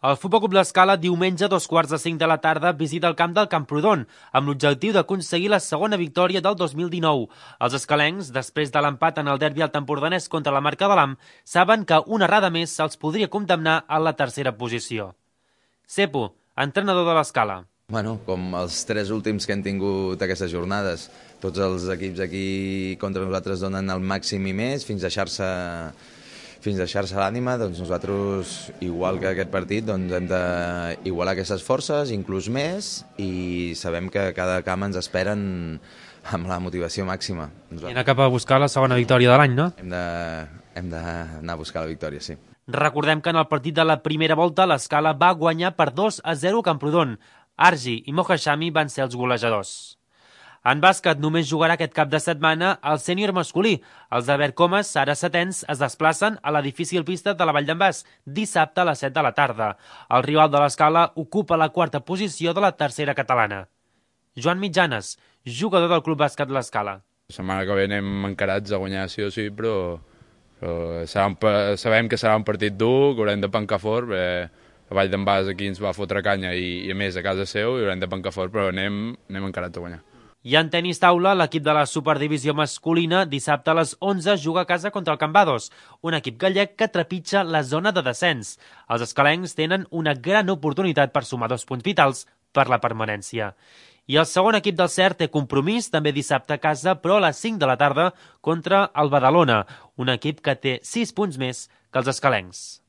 El Futbol Club l'Escala diumenge a 2:45 de la tarda visita el camp del Camprodon amb l'objectiu d'aconseguir la segona victòria del 2019. Els escalencs, després de l'empat en el derbi altempordanès contra la Marca de l'Am, saben que una errada més se'ls podria condemnar a la tercera posició. Cepo, entrenador de l'Escala. Bueno, com els 3 últims que hem tingut aquestes jornades, tots els equips aquí contra nosaltres donen el màxim i més fins deixar-se l'ànima. Doncs nosaltres, igual que aquest partit, doncs hem d'igualar aquestes forces, inclús més, i sabem que cada camp ens esperen amb la motivació màxima. I anar cap a buscar la segona victòria de l'any, no? Hem d'anar a buscar la victòria, sí. Recordem que en el partit de la primera volta l'Escala va guanyar per 2-0 a Camprodon. Argi i Mohashami van ser els golejadors. En bàsquet només jugarà aquest cap de setmana el sènior masculí. Els de Vercomes, ara setens, es desplacen a la difícil pista de la Vall d'en Bas dissabte a les 7 de la tarda. El rival de l'Escala ocupa la quarta posició de la tercera catalana. Joan Mitjanes, jugador del Club Bàsquet l'Escala. La setmana que ve anem encarats a guanyar sí o sí, però sabem que serà un partit dur, que haurem de pencar fort, perquè la Vall d'en Bas aquí ens va fotre canya i a més a casa seu i haurem de pencar fort, però anem encarats a guanyar. I en tenis taula, l'equip de la Superdivisió masculina dissabte a les 11 juga a casa contra el Cambados, un equip gallec que trepitja la zona de descens. Els escalencs tenen una gran oportunitat per sumar 2 punts vitals per la permanència. I el segon equip del CERT té compromís també dissabte a casa, però a les 5 de la tarda contra el Badalona, un equip que té 6 punts més que els escalencs.